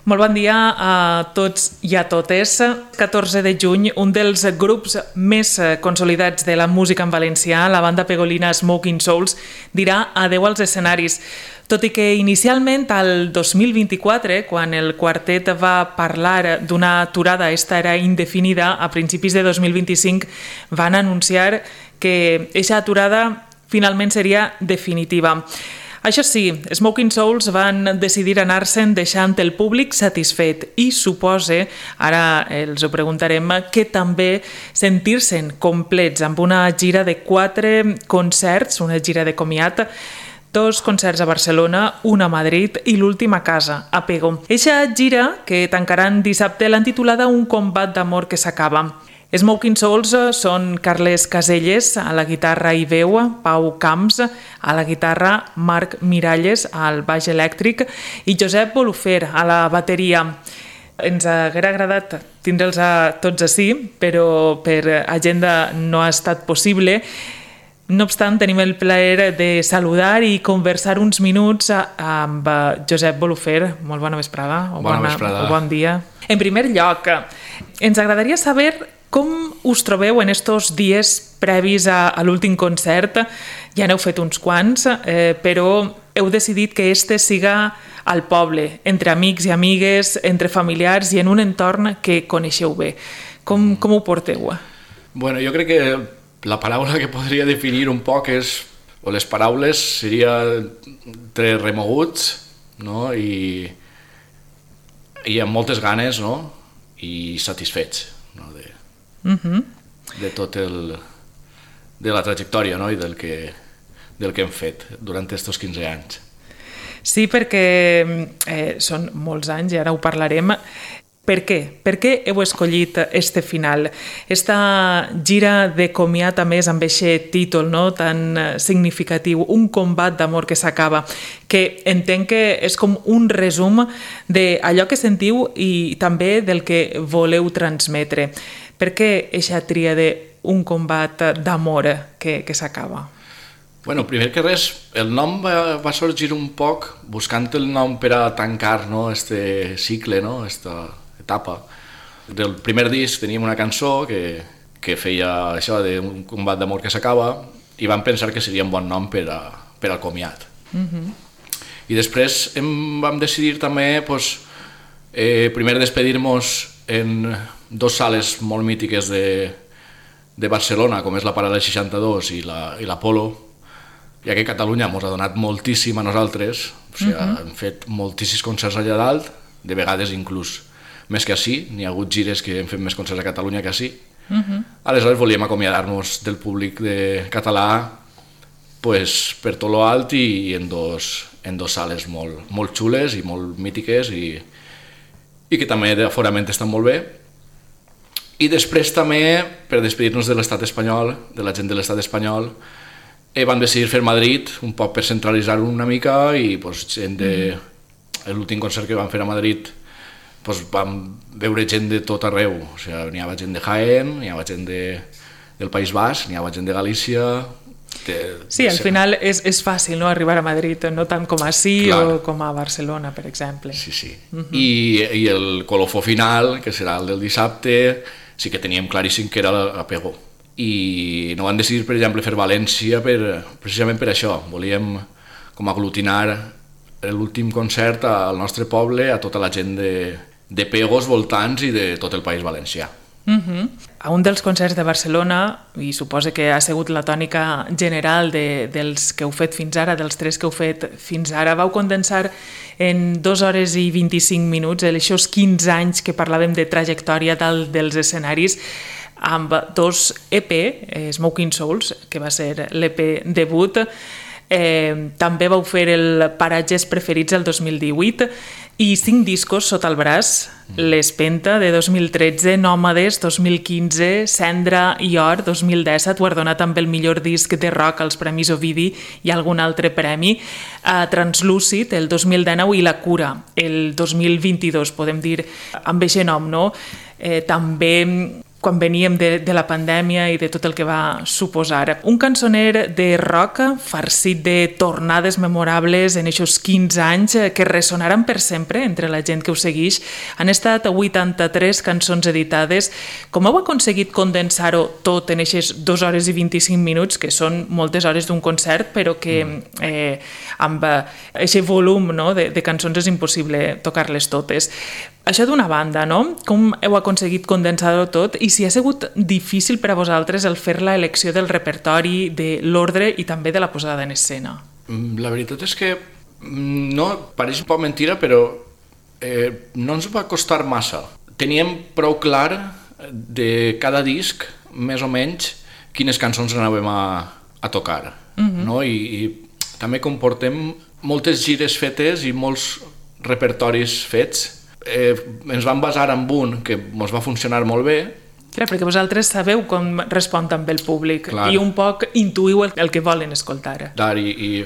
Molt bon dia a tots i a totes. 14 de juny, un dels grups més consolidats de la música en valencià, la banda pegolina Smoking Souls, dirà adeu als escenaris. Tot i que inicialment, al 2024, quan el quartet va parlar d'una aturada, esta era indefinida, a principis de 2025 van anunciar que aquesta aturada finalment seria definitiva. Això sí, Smoking Souls van decidir anar-se'n deixant el públic satisfet i suposa, ara els ho preguntarem, que també sentir-se'n complets amb una gira de 4 concerts, una gira de comiat, 2 concerts a Barcelona, un a Madrid i l'últim a casa, a Pego. Eixa gira, que tancaran dissabte, l'han titulada Un combat d'amor que s'acaba. Smoking Souls són Carles Caselles a la guitarra i veu, Pau Camps a la guitarra, Marc Miralles al baix elèctric i Josep Bolufer a la bateria. Ens hauria agradat tindre'ls a tots ací, però per agenda no ha estat possible. No obstant, tenim el plaer de saludar i conversar uns minuts amb Josep Bolufer. Molt bona vesprada. Bona vesprada. Bon dia. En primer lloc, ens agradaria saber com us trobeu en estos dies previs a l'últim concert. Ja n'heu fet uns quants, però heu decidit que este siga al poble, entre amics i amigues, entre familiars i en un entorn que coneixeu bé. Com ho porteu? Bueno, jo crec que la paraula que podria definir un poc és, o les paraules, seria entre remoguts, no? I amb moltes ganes, no? I satisfets, no? De tot de la trajectòria, no? I del que hem fet durant aquests 15 anys. Sí, perquè són molts anys i ara ho parlarem. Per què? Per què heu escollit este final? Esta gira de comiat, a més, amb aquest títol, no? Tan significatiu, Un combat d'amor que s'acaba, que entenc que és com un resum d'allò que sentiu i també del que voleu transmetre. Per què aquesta tria d'un combat d'amor que s'acaba? Bueno, primer que res, el nom va sorgir un poc buscant el nom per a tancar, no? Este cicle, no? Esta etapa. Del primer disc teníem una cançó que feia això d'un combat d'amor que s'acaba i vam pensar que seria un bon nom per al comiat. I després vam decidir també primer despedir-nos en 2 sales molt mítiques de Barcelona, com és la Paral·lel 62 i l'Apolo, ja que Catalunya ens ha donat moltíssim a nosaltres, o sigui, hem fet moltíssims concerts allà dalt, de vegades inclús més que ací, n'hi ha hagut gires que hem fet més concerts a Catalunya que ací. Aleshores volíem acomiadar-nos del públic català per tot lo alt i en dos sales molt xules i molt mítiques i que també d'aforament estan molt bé. I després també, per despedir-nos de l'estat espanyol, de la gent de l'estat espanyol, vam decidir fer Madrid, un poc per centralitzar-ho una mica i l'últim concert que vam fer a Madrid vam veure gent de tot arreu, o sigui, n'hi havia gent de Jaén, n'hi havia gent del País Basc, n'hi havia gent de Galícia. Sí, al final és fàcil, no?, arribar a Madrid, no tant com ací o com a Barcelona, per exemple. Sí. I el colofó final, que serà el del dissabte, sí que teníem claríssim que era a Pego. I no vam decidir, per exemple, fer València precisament per això. Volíem com aglutinar l'últim concert al nostre poble, a tota la gent de Pegos voltants i de tot el País Valencià. A un dels concerts de Barcelona, i suposa que ha sigut la tònica general dels que heu fet fins ara, dels 3 que heu fet fins ara, vau condensar en 2 hores i 25 minuts aquests 15 anys que parlàvem de trajectòria dalt dels escenaris, amb 2 EP, Smoking Souls, que va ser l'EP debut, també vau fer el Paratges Preferits el 2018 i 5 discos sota el braç, l'Espenta de 2013, Nòmades 2015, Cendra i Or 2017, guardonat amb el millor disc de rock als Premis Ovidi i algun altre premi, Translúcid el 2019 i La Cura el 2022, podem dir amb aquest nom, no? També quan veníem de la pandèmia i de tot el que va suposar. Un cançoner de rock farcit de tornades memorables en aquests 15 anys que ressonaran per sempre entre la gent que ho segueix. Han estat 83 cançons editades. Com heu aconseguit condensar-ho tot en aquestes 2 hores i 25 minuts, que són moltes hores d'un concert, però que amb aquest volum, no, de cançons és impossible tocar-les totes. Això d'una banda, no? Com heu aconseguit condensar-ho tot i si ha sigut difícil per a vosaltres el fer la elecció del repertori, de l'ordre i també de la posada en escena? La veritat és que no, pareix un poc mentira, però no ens va costar massa. Teníem prou clar de cada disc, més o menys, quines cançons anàvem a tocar. No? I també comportem moltes gires fetes i molts repertoris fets. Ens vam basar en un que ens va funcionar molt bé. Clar, perquè vosaltres sabeu com respon també el públic. Clar. I un poc intuïu el que volen escoltar. Clar, i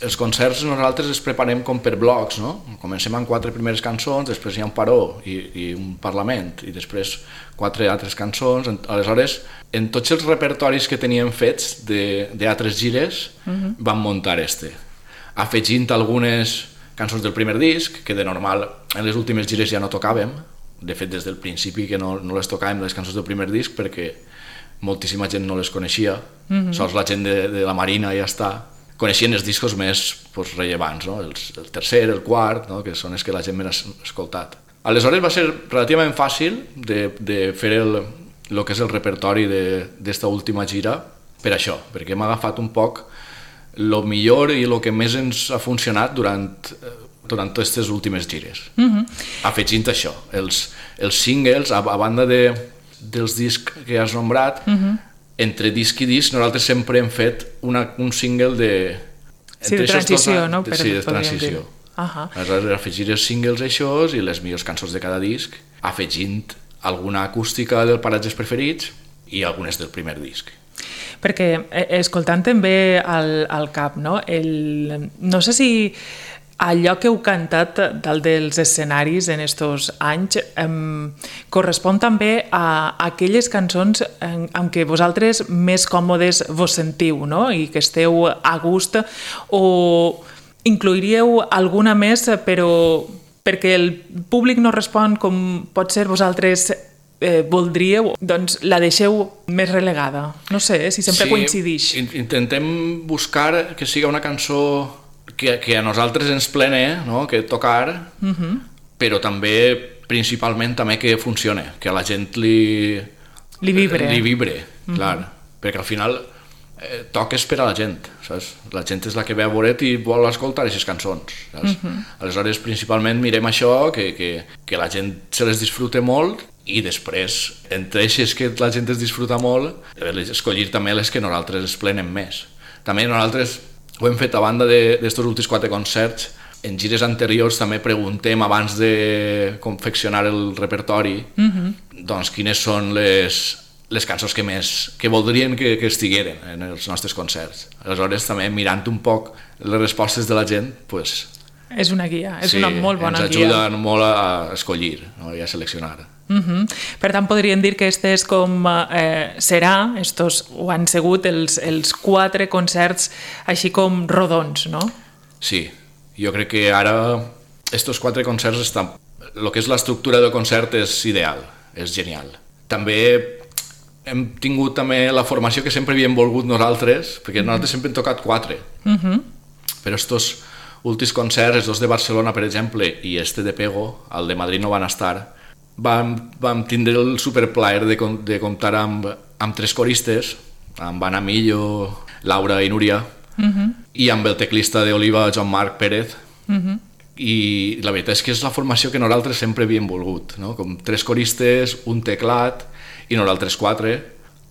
els concerts nosaltres els preparem com per blocs, no? Comencem amb 4 primeres cançons, després hi ha un paró i un parlament, i després 4 altres cançons. Aleshores, en tots els repertoris que teníem fets d'altres gires, vam muntar afegint algunes cançons del primer disc, que de normal en les últimes gires ja no tocàvem. De fet, des del principi que no les tocàvem, les cançons del primer disc, perquè moltíssima gent no les coneixia, sols la gent de la Marina ja està. Coneixien els discos més rellevants, no? El tercer, el quart, no? Que són els que la gent més ha escoltat. Aleshores va ser relativament fàcil de fer el que és el repertori d'esta última gira per això, perquè hem agafat un poc el millor i el que més ens ha funcionat durant aquestes últimes gires. Afegint això, els singles, a banda dels discs que has nombrat, entre disc i disc nosaltres sempre hem fet un single de transició, no? Sí, de transició. Aleshores, afegir els singles aixòs i les millors cançons de cada disc, afegint alguna acústica dels paratges preferits i algunes del primer disc. Perquè, escoltant també al cap, no? No sé si allò que heu cantat dalt dels escenaris en estos anys correspon també a aquelles cançons amb què vosaltres més còmodes vos sentiu, no? I que esteu a gust, o incluiríeu alguna més però perquè el públic no respon com pot ser vosaltres voldríeu, doncs la deixeu més relegada. No sé, si sempre coincidix. Sí, intentem buscar que siga una cançó que a nosaltres ens plene, no? Que tocar, però també, principalment, també que funcione, que a la gent li vibre, clar, perquè al final toques per a la gent, saps? La gent és la que ve a veure't i vol escoltar aquestes cançons, saps? Aleshores, principalment, mirem això, que la gent se les disfrute molt, i després, entre eixes que la gent es disfruta molt, escollir també les que nosaltres es plenen més. També nosaltres ho hem fet a banda d'estos últims 4 concerts. En gires anteriors també preguntem, abans de confeccionar el repertori, doncs quines són les cançons que voldrien que estigueren en els nostres concerts. Aleshores, també mirant un poc les respostes de la gent, doncs... És una guia, és una molt bona guia. Ens ajuden molt a escollir, no? I a seleccionar. Per tant, podríem dir que estos ho han sigut els 4 concerts així com rodons, no? Sí, jo crec que ara estos 4 concerts el que és l'estructura del concert és ideal, és genial. També hem tingut també la formació que sempre havíem volgut nosaltres, perquè nosaltres sempre hem tocat 4, però estos últims concerts, els 2 de Barcelona, per exemple, i de Pego, el de Madrid no van estar, vam tindre el superplaer de comptar amb 3 coristes, amb Anna Millo, Laura i Núria, i amb el teclista d'Oliva, Joan Marc Pérez, i la veritat és que és la formació que nosaltres sempre havíem volgut, no? Com 3 coristes, un teclat i nosaltres 4,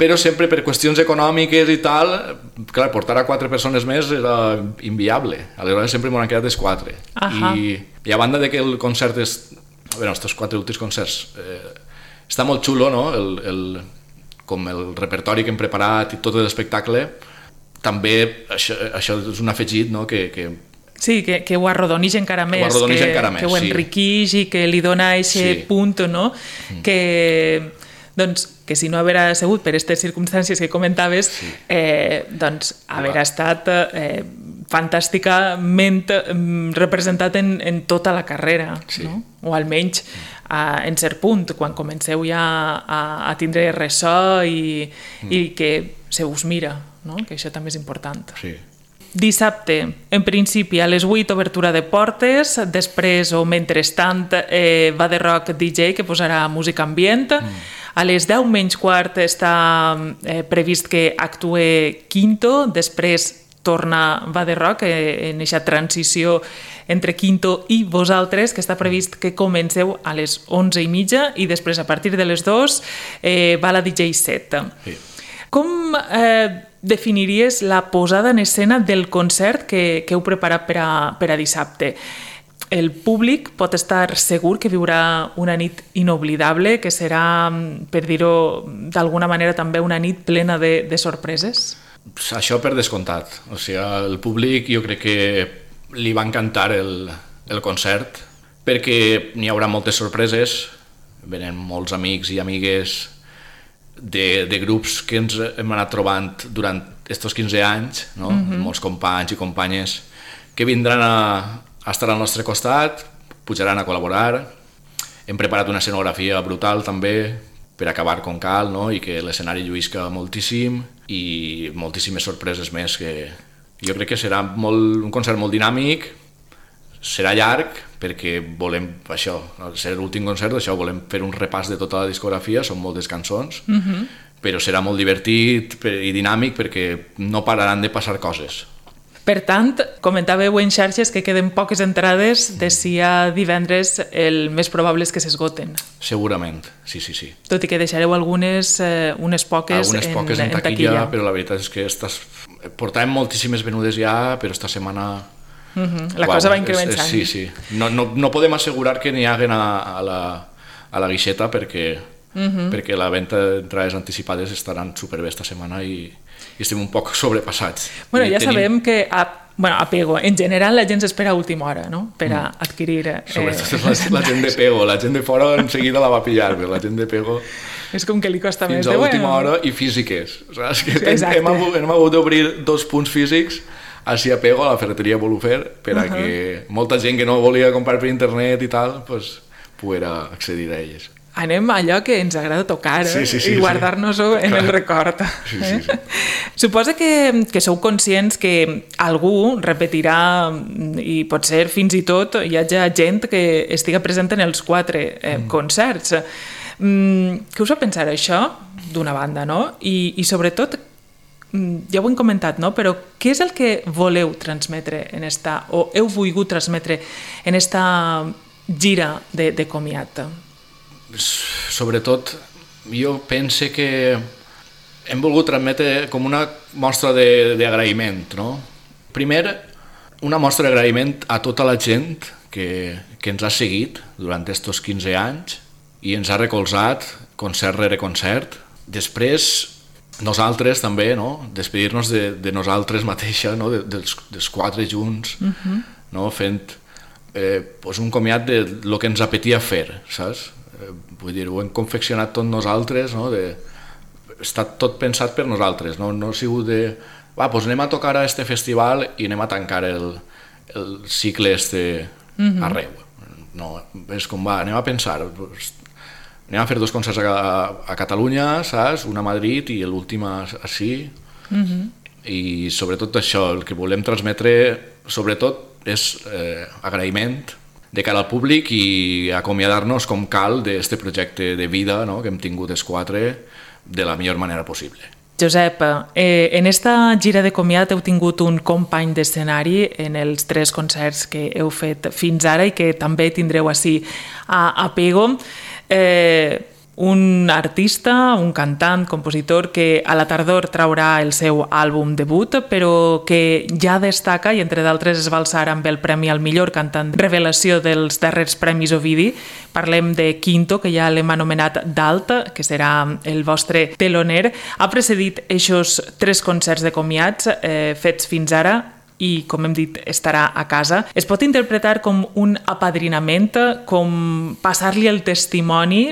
però sempre per qüestions econòmiques i tal, clar, portar a 4 persones més era inviable, aleshores sempre m'ho han quedat els 4. I a banda de que el concert estos 4 últims concerts està molt xulo, no? Com el repertori que hem preparat i tot l'espectacle, també això és un afegit, no? Sí, que ho arrodonix encara més, que ho enriquix i que li dona aquest punt, no? Que que si no haver sigut per aquestes circumstàncies que comentaves, doncs haver estat fantàsticament representat en tota la carrera, no? O almenys en cert punt, quan comenceu ja a tindre ressò i que se us mira, no? Que això també és important. Sí. Dissabte, en principi, a les 8, obertura de portes, després o mentrestant va de rock DJ que posarà música ambient. A les 10 menys quart està previst que actue Quinto, després torna Va de Rock en aquesta transició entre Quinto i vosaltres, que està previst que comenceu a les 11:30 i després a partir de les 2 va la DJ set. Sí. Com definiries la posada en escena del concert que heu preparat per a dissabte? El públic pot estar segur que viurà una nit inoblidable, que serà, per dir-ho d'alguna manera, també una nit plena de sorpreses? Això per descomptat. O sigui, el públic jo crec que li va encantar el concert perquè n'hi haurà moltes sorpreses, venen molts amics i amigues de grups que ens hem anat trobant durant aquests 15 anys, no? Molts companys i companyes que vindran a estar al nostre costat, pujaran a col·laborar. Hem preparat una escenografia brutal també per acabar com cal, no? I que l'escenari lluïsca moltíssim i moltíssimes sorpreses més que jo crec que serà un concert molt dinàmic, serà llarg perquè volem això, al ser l'últim concert això, volem fer un repàs de tota la discografia, són moltes cançons, però serà molt divertit i dinàmic perquè no pararan de passar coses. Per tant, comentàveu en xarxes que queden poques entrades de si a divendres el més probable és que s'esgoten. Segurament, sí. Tot i que deixareu unes poques en taquilla. Però la veritat és que portàvem moltíssimes venudes ja, però esta setmana... La cosa va incrementant. Sí. No podem assegurar que n'hi haguen a la guixeta perquè la venda d'entrades anticipades estaran superbé esta setmana i estem un poc sobrepassats. Bueno, ja sabem que a Pego, en general la gent s'espera a última hora, no? Per a adquirir... Sobretot la gent de Pego, la gent de fora en seguida la va pillar, però la gent de Pego... És com que li costa més. Fins a l'última hora i físiques. Saps? Hem hagut d'obrir 2 punts físics així a Pego, a la ferreteria Volufer, per a que molta gent que no volia comprar per internet i tal, pues, poguera accedir a elles. Anem a allò que ens agrada tocar i guardar-nos-ho en el record. Sí. Suposa que sou conscients que algú repetirà i potser fins i tot hi hagi gent que estiga present en els 4 concerts. Què us fa pensar això, d'una banda, no? I sobretot, ja ho hem comentat, no? Però què és el que voleu transmetre o heu volgut transmetre en esta gira de comiat? Sobretot, jo pense que hem volgut transmetre com una mostra d'agraïment, no? Primer, una mostra d'agraïment a tota la gent que ens ha seguit durant aquests 15 anys i ens ha recolzat concert rere concert. Després, nosaltres també, no? Despedir-nos de nosaltres mateixa, no? dels 4 junts, no? Fent un comiat de lo que ens apetia fer, saps? Vull dir, ho hem confeccionat tot nosaltres, no? Està tot pensat per nosaltres, no ha sigut de doncs anem a tocar a este festival i anem a tancar el cicle arreu. No, és com anem a pensar, anem a fer 2 concerts a Catalunya, saps? Un a Madrid i l'últim així, i sobretot això, el que volem transmetre sobretot és agraïment de cara al públic i acomiadar-nos com cal d'aquest projecte de vida, no? Que hem tingut els 4 de la millor manera possible. Josep, en esta gira de comiat heu tingut un company d'escenari en els 3 concerts que heu fet fins ara i que també tindreu ací a Pego. Un artista, un cantant, compositor que a la tardor traurà el seu àlbum debut, però que ja destaca i entre d'altres es va alçar amb el premi al millor cantant revelació dels darrers Premis Ovidi. Parlem de Quinto, que ja l'hem anomenat Dalt, que serà el vostre teloner. Ha precedit eixos 3 concerts de comiats fets fins ara i, com hem dit, estarà a casa. Es pot interpretar com un apadrinament, com passar-li el testimoni,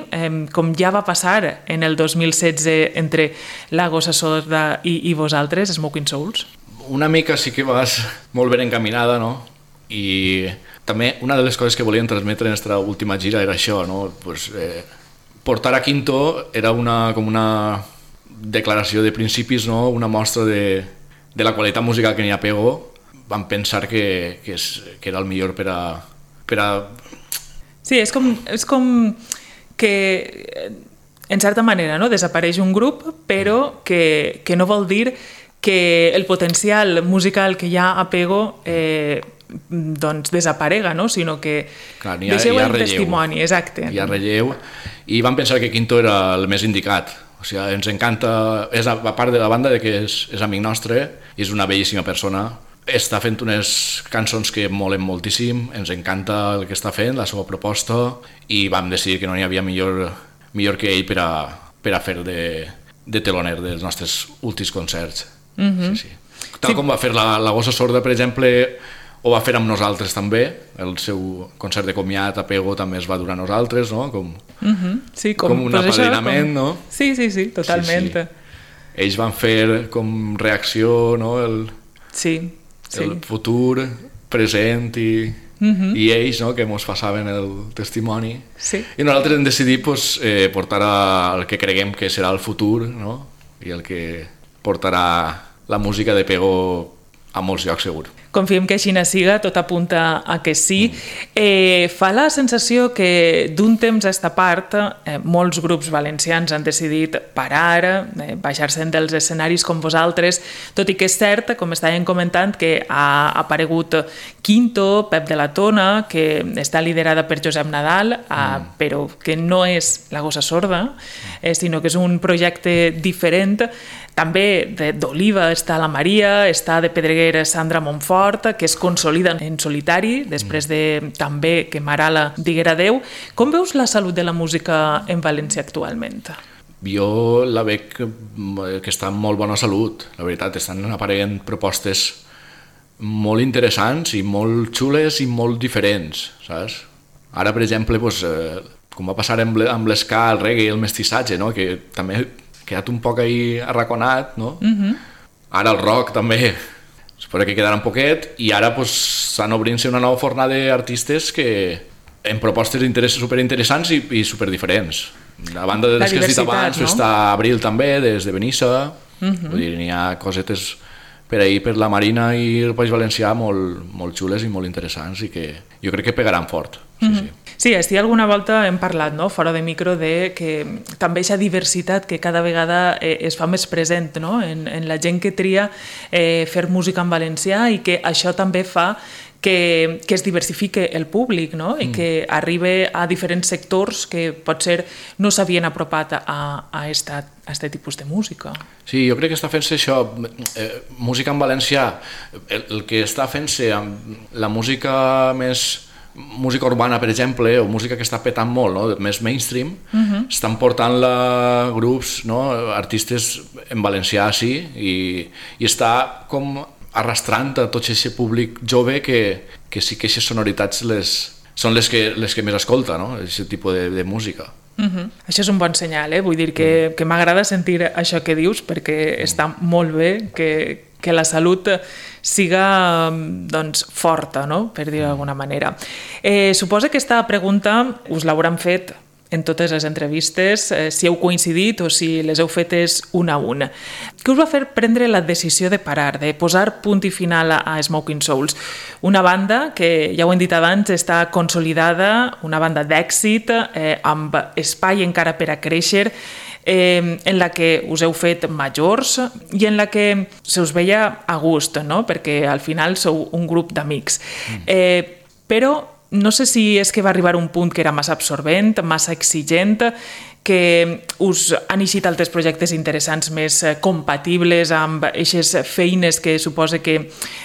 com ja va passar en el 2016 entre La Gossa Sorda i vosaltres, Smoking Souls? Una mica sí que vas molt ben encaminada, no? I també una de les coses que volíem transmetre en aquesta última gira era això, no? Pues, portar a Quinto era com una declaració de principis, no? Una mostra de la qualitat musical que n'hi ha Pego. Vam pensar que era el millor per a... Sí, és com que en certa manera, no? Desapareix un grup, però que no vol dir que el potencial musical que hi ha a Pego doncs desaparega, no? Sinó que deixeu el testimoni, exacte. Hi ha relleu, i vam pensar que Quinto era el més indicat. O sigui, ens encanta, a part de la banda de que és amic nostre, i és una bellíssima persona, està fent unes cançons que molen moltíssim, ens encanta el que està fent, la seva proposta, i vam decidir que no n'hi havia millor que ell per a fer de teloner dels nostres últims concerts. Sí. Tal com va fer la Gossa Sorda, per exemple, ho va fer amb nosaltres també, el seu concert de comiat a Pego també es va dur a nosaltres, no? Com un apadrinament, no? Sí, totalment. Ells van fer com reacció, no? El futur, present i ells, no? Que ens passaven el testimoni. I nosaltres hem decidit portar el que creguem que serà el futur, no? I el que portarà la música de Pego a molts llocs segur. Confiem que així siga, tot apunta a que sí. Fa la sensació que d'un temps a esta part molts grups valencians han decidit parar, baixar-se'n dels escenaris com vosaltres, tot i que és cert, com estàvem comentant, que ha aparegut Quinto, Pep de la Tona, que està liderada per Josep Nadal, però que no és La Gossa Sorda, sinó que és un projecte diferent. També d'Oliva està la Maria, està de Pedreguer Sandra Montfort, que es consolida en solitari, després de també que Marala diguera adeu. Com veus la salut de la música en València actualment? Jo la veig que està en molt bona salut, la veritat. Estan apareixent propostes molt interessants i molt xules i molt diferents, saps? Ara, per exemple, com va passar amb l'esca, el reggae i el mestissatge, no? Que també quedat un poc ahí arraconat, no? Ara el rock també, espero que quedarà un poquet, i ara s'han obrint-se una nova fornada d'artistes que en propostes superinteressants i superdiferents. A banda de les que has dit abans, està Abril també, des de Benissa, vull dir, n'hi ha cosetes per ahir per la Marina i el País Valencià molt xules i molt interessants i que jo crec que pegaran fort. Sí, alguna volta hem parlat, fora de micro, de que també aquesta diversitat que cada vegada es fa més present en la gent que tria fer música en valencià i que això també fa que es diversifique el públic i que arribi a diferents sectors que potser no s'havien apropat a aquest tipus de música. Sí, jo crec que està fent-se això, música en valencià, el que està fent-se amb la música més... música urbana, per exemple, o música que està petant molt, més mainstream, estan portant grups, artistes en valencià, sí, i està com arrastrant a tot aquest públic jove que sí que aquestes sonoritats són les que més escolta, aquest tipus de música. Això és un bon senyal, vull dir que m'agrada sentir això que dius perquè està molt bé que la salut siga forta, per dir-ho d'alguna manera. Suposo que aquesta pregunta us l'hauran fet en totes les entrevistes, si heu coincidit o si les heu fetes una a una. Què us va fer prendre la decisió de parar, de posar punt i final a Smoking Souls? Una banda que, ja ho hem dit abans, està consolidada, una banda d'èxit, amb espai encara per a créixer, en la que us heu fet majors i en la que se us veia a gust, perquè al final sou un grup d'amics. Però no sé si és que va arribar un punt que era massa absorbent, massa exigent, que us han eixit altres projectes interessants més compatibles amb aquestes feines que suposa que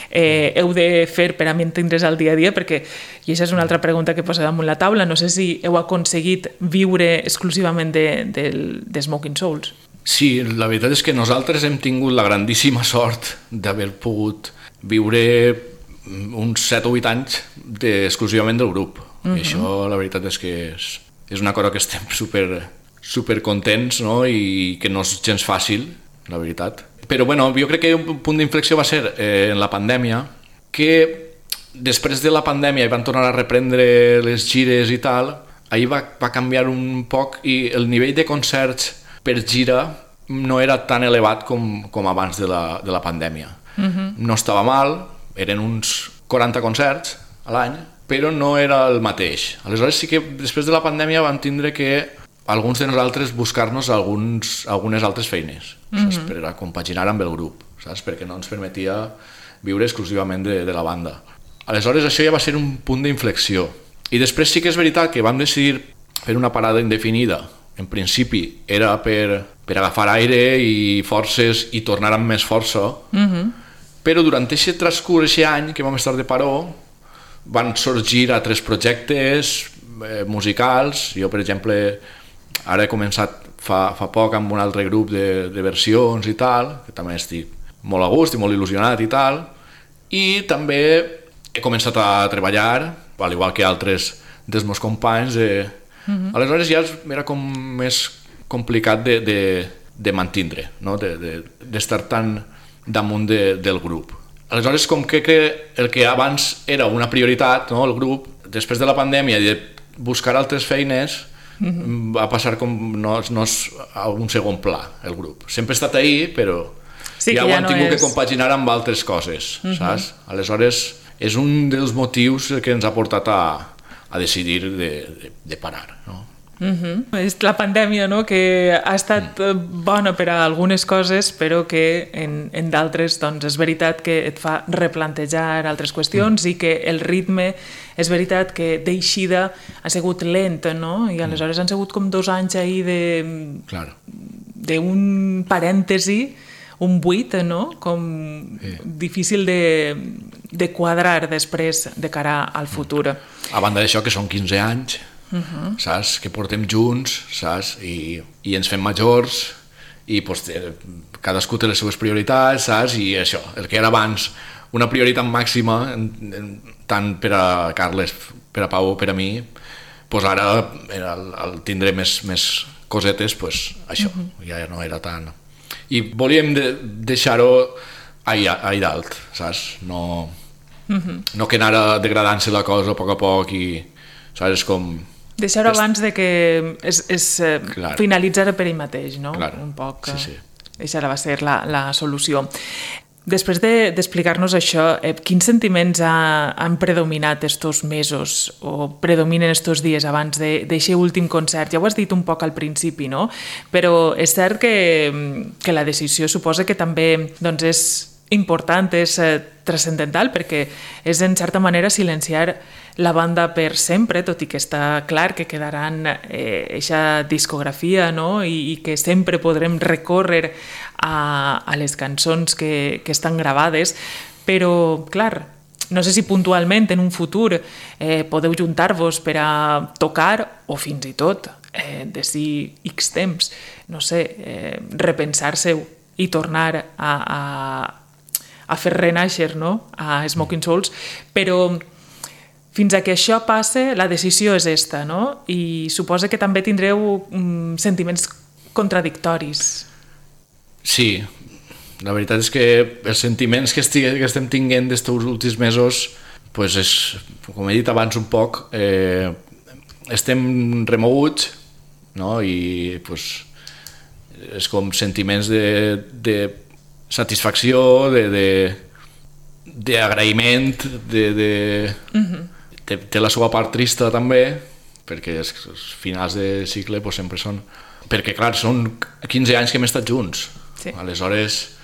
heu de fer per a mantindre's al dia a dia, perquè, i aquesta és una altra pregunta que posa damunt la taula, no sé si heu aconseguit viure exclusivament de Smoking Souls. Sí, la veritat és que nosaltres hem tingut la grandíssima sort d'haver pogut -huh. uns 7 o 8 anys exclusivament del grup. I això la veritat és que és una cosa que estem super contents, no? I que no és gens fàcil, la veritat. Però bueno, jo crec que un punt d'inflexió va ser en la pandèmia, que després de la pandèmia van tornar a reprendre les gires i tal, ahir va canviar un poc i el nivell de concerts per gira no era tan elevat com abans de la pandèmia. No estava mal, eren uns 40 concerts a l'any, però no era el mateix. Aleshores sí que després de la pandèmia vam tindre que alguns de nosaltres buscar-nos algunes altres feines, saps? Per a compaginar amb el grup, saps? Perquè no ens permetia viure exclusivament de la banda. Aleshores això ja va ser un punt d'inflexió. I després sí que és veritat que vam decidir fer una parada indefinida. En principi era per agafar aire i forces i tornar amb més força, però durant aquest transcurs, aquest any que vam estar de paró, van sorgir altres projectes musicals. Jo, per exemple, ara he començat fa poc amb un altre grup de versions i tal, que també estic molt a gust i molt il·lusionat i tal, i també he començat a treballar, al igual que altres dels meus companys. Aleshores ja era com més complicat de mantindre, no? D'estar tan damunt del grup. Aleshores, com que el que abans era una prioritat, no? El grup, després de la pandèmia i de buscar altres feines, va passar com no és a un segon pla, el grup. Sempre ha estat ahí, però sí, ja ho han tingut que compaginar amb altres coses, saps? Aleshores, és un dels motius que ens ha portat a decidir de parar, no? És la pandèmia, no? Que ha estat bona per a algunes coses, però que en d'altres doncs, és veritat que et fa replantejar altres qüestions i que el ritme és veritat que d'eixida ha sigut lent, no? I aleshores han sigut com 2 anys ahir d'un parèntesi, un buit, no? Com difícil de quadrar després de cara al futur. A banda d'això, que són 15 anys, saps? Que portem junts, saps? I ens fem majors i pues, cadascú té les seves prioritats, saps? I això, el que era abans una prioritat màxima, tant per a Carles, per a Pau o per a mi, pues ara al tindre més cosetes, pues, això ja no era tan... I volíem deixar-ho ahí dalt, saps? No que anara degradant-se la cosa a poc i, saps, és com... Deixar-ho abans de que es finalitzara per ell mateix, no? Clar. Un poc. Sí. Això va ser la solució. Després d'explicar-nos això, quins sentiments han predominat estos mesos o predominen estos dies abans d'aquest últim concert? Ja ho has dit un poc al principi, no? Però és cert que la decisió suposa que també doncs, és important, és transcendental, perquè és en certa manera silenciar la banda per sempre, tot i que està clar que quedaran eixa discografia, no? I que sempre podrem recórrer a les cançons que estan gravades, però clar, no sé si puntualment en un futur podeu juntar-vos per a tocar o fins i tot d'ací X temps, no sé, repensar-se-ho i tornar a fer renaixer, no? A Smoking Souls, però fins a que això passe, la decisió és esta, no? I suposa que també tindreu sentiments contradictoris. Sí, la veritat és que els sentiments que estem tinguent d'estos últims mesos, pues és, com he dit abans un poc, estem remoguts, no? I pues, és com sentiments de satisfacció, d'agraïment, té la seva part trista també, perquè els finals de cicle pues, sempre són... Perquè, clar, són 15 anys que hem estat junts. Sí. Aleshores...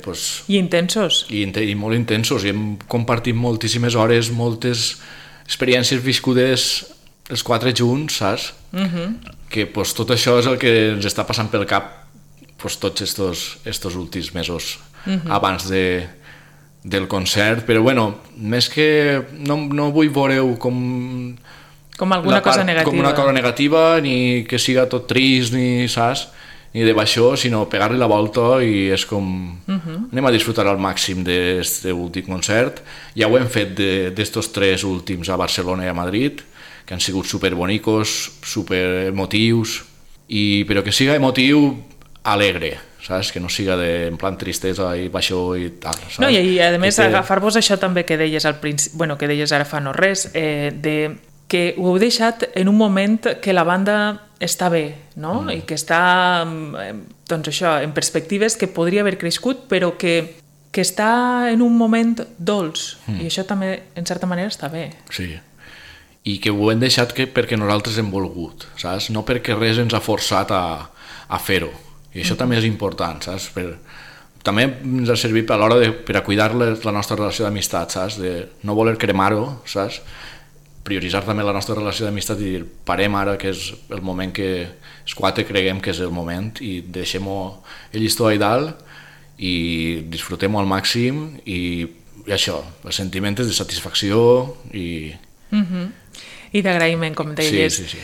pues, I intensos. I molt intensos. I hem compartit moltíssimes hores, moltes experiències viscudes els 4 junts, saps? Que pues, tot això és el que ens està passant pel cap pues, tots estos últims mesos abans del concert, però bueno, més que no vull veure-ho com alguna cosa negativa. Com una cosa negativa, ni que siga tot trist, ni saps? ni de baixó, sinó pegar-li la volta i és com... Anem a disfrutar al màxim d'aquest últim concert. Ja ho hem fet d'estos 3 últims a Barcelona i a Madrid, que han sigut superbonicos, superemotius, però que siga emotiu alegre, saps? Que no siga en plan tristesa i baixó i tal, saps? No, i a més agafar-vos això també que deies al principi, bueno, que deies ara fa no res, que ho heu deixat en un moment que la banda està bé, no? I que està, doncs això, en perspectives que podria haver crescut, però que està en un moment dolç, i això també, en certa manera, està bé. Sí, i que ho hem deixat perquè nosaltres hem volgut, saps? No perquè res ens ha forçat a fer-ho. I això també és important, saps? També ens ha servit a l'hora per a cuidar la nostra relació d'amistat, saps? De no voler cremar-ho, saps? Prioritzar també la nostra relació d'amistat i dir, parem ara, que és el moment que els 4 creguem que és el moment, i deixem-ho el llistó allà dalt i disfrutem-ho al màxim, i això, el sentiment és de satisfacció i d'agraïment, com deies. Sí.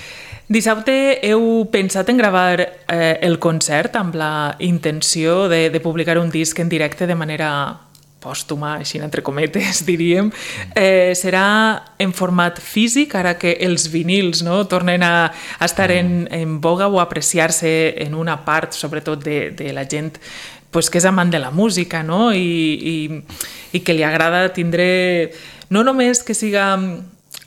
Dissabte heu pensat en gravar el concert amb la intenció de publicar un disc en directe de manera pòstuma, així entre cometes, diríem. Serà en format físic, ara que els vinils tornen a estar en boga o a apreciar-se en una part, sobretot de la gent que és amant de la música, i que li agrada tindre no només que siga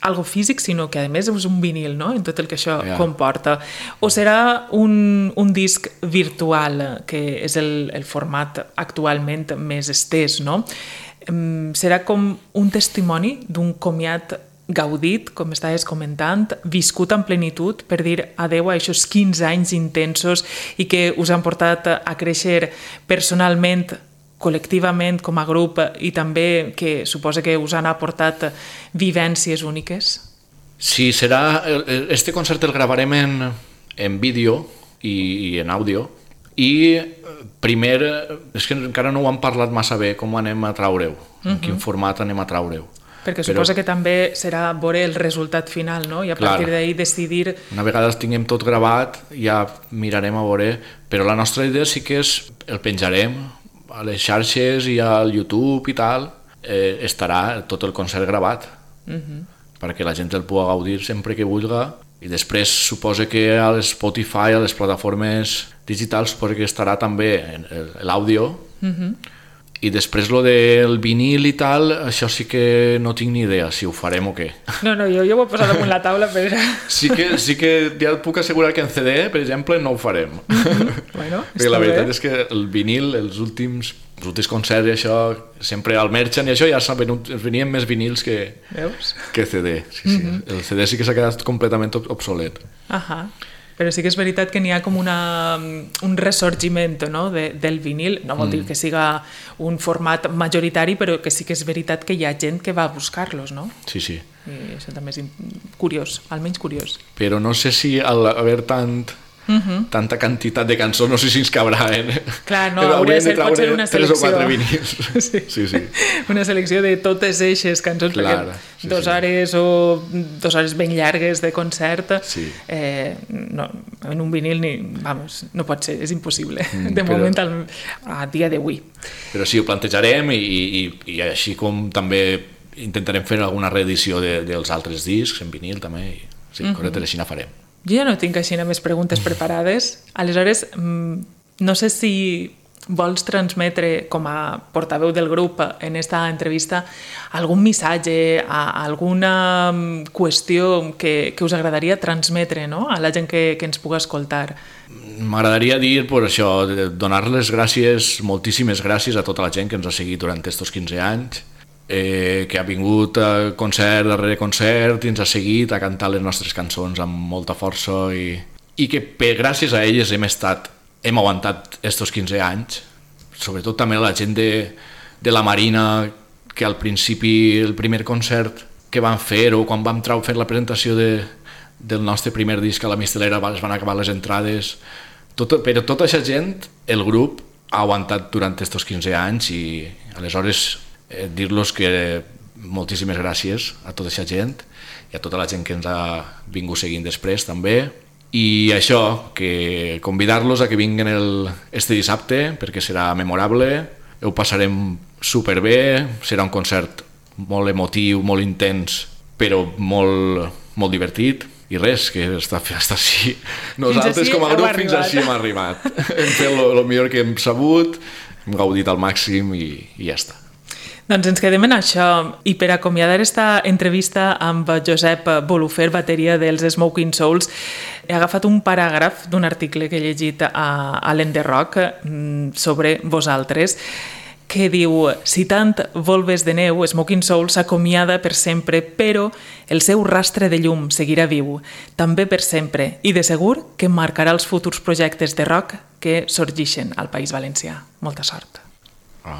algo físic, sinó que a més és un vinil, en tot el que això comporta. O serà un disc virtual, que és el format actualment més estès, no? Serà com un testimoni d'un comiat gaudit, com estaves comentant, viscut en plenitud per dir adeu a aquests 15 anys intensos i que us han portat a créixer personalment, col·lectivament, com a grup, i també que suposa que us han aportat vivències úniques? Sí, serà... Este concert el gravarem en vídeo i en àudio, i primer, és que encara no ho hem parlat massa bé, com anem a traure-ho, en quin format anem a traure-ho. Perquè suposa que també serà veure el resultat final, no? I a partir d'ahir decidir... Una vegada tinguem tot gravat, ja mirarem a veure, però la nostra idea sí que és el penjarem a les xarxes i al YouTube i tal, estarà tot el concert gravat, perquè la gent el pugui gaudir sempre que vulgui, i després suposa que a l'Spotify, a les plataformes digitals, suposa que estarà també l'àudio, i després lo del vinil i tal, això sí que no tinc ni idea si ho farem o què. No, jo ho he posat damunt la taula, però... Sí que ja et puc assegurar que en CD, per exemple, no ho farem. Bueno, perquè la veritat és que el vinil, els últims concerts i això, sempre al Merchant i això ja venien més vinils que CD. El CD sí que s'ha quedat completament obsolet. Però sí que és veritat que n'hi ha com un ressorgiment del vinil. No vol dir que siga un format majoritari, però que sí que és veritat que hi ha gent que va a buscar-los, no? Sí. I això també és curiós, almenys curiós. Però no sé si al haver tanta quantitat de cançons, no sé si ens cabrà, Clar, no, hauria de ser potser una selecció. 3 o 4 vinils. Sí. Una selecció de totes eixes cançons, perquè 2 hores o 2 hores ben llargues de concert, en un vinil no pot ser, és impossible, de moment a dia d'avui. Però sí, ho plantejarem i així com també intentarem fer alguna reedició dels altres discs en vinil també, correcte, així la farem. Jo ja no tinc així més preguntes preparades. Aleshores, no sé si vols transmetre com a portaveu del grup en esta entrevista algun missatge, alguna qüestió que us agradaria transmetre a la gent que ens pugui escoltar. M'agradaria dir això, donar les gràcies, moltíssimes gràcies a tota la gent que ens ha seguit durant aquests 15 anys, que ha vingut a concert darrere concert i ens ha seguit a cantar les nostres cançons amb molta força i que gràcies a elles hem aguantat aquests 15 anys, sobretot també la gent de la Marina, que al principi el primer concert que van fer o quan vam fer la presentació del nostre primer disc a la Mistelera es van acabar les entrades, però tota aquesta gent, el grup ha aguantat durant aquests 15 anys i aleshores dir-los que moltíssimes gràcies a tota aquesta gent i a tota la gent que ens ha vingut seguint després també, I això, que convidar-los a que vinguin este dissabte, perquè serà memorable, ho passarem superbé, serà un concert molt emotiu, molt intens, però molt divertit, i res, que està així. Nosaltres com a grup fins així hem arribat. Hem fet el millor que hem sabut, hem gaudit al màxim i ja està. Doncs ens quedem en això, i per acomiadar esta entrevista amb Josep Bolufer, bateria dels Smoking Souls, he agafat un paràgraf d'un article que he llegit a l'Enderrock sobre vosaltres, que diu: citant Volves de neu, Smoking Souls s'acomiada per sempre, però el seu rastre de llum seguirà viu, també per sempre, i de segur que marcarà els futurs projectes de rock que sorgeixen al País Valencià. Molta sort.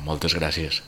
Moltes gràcies.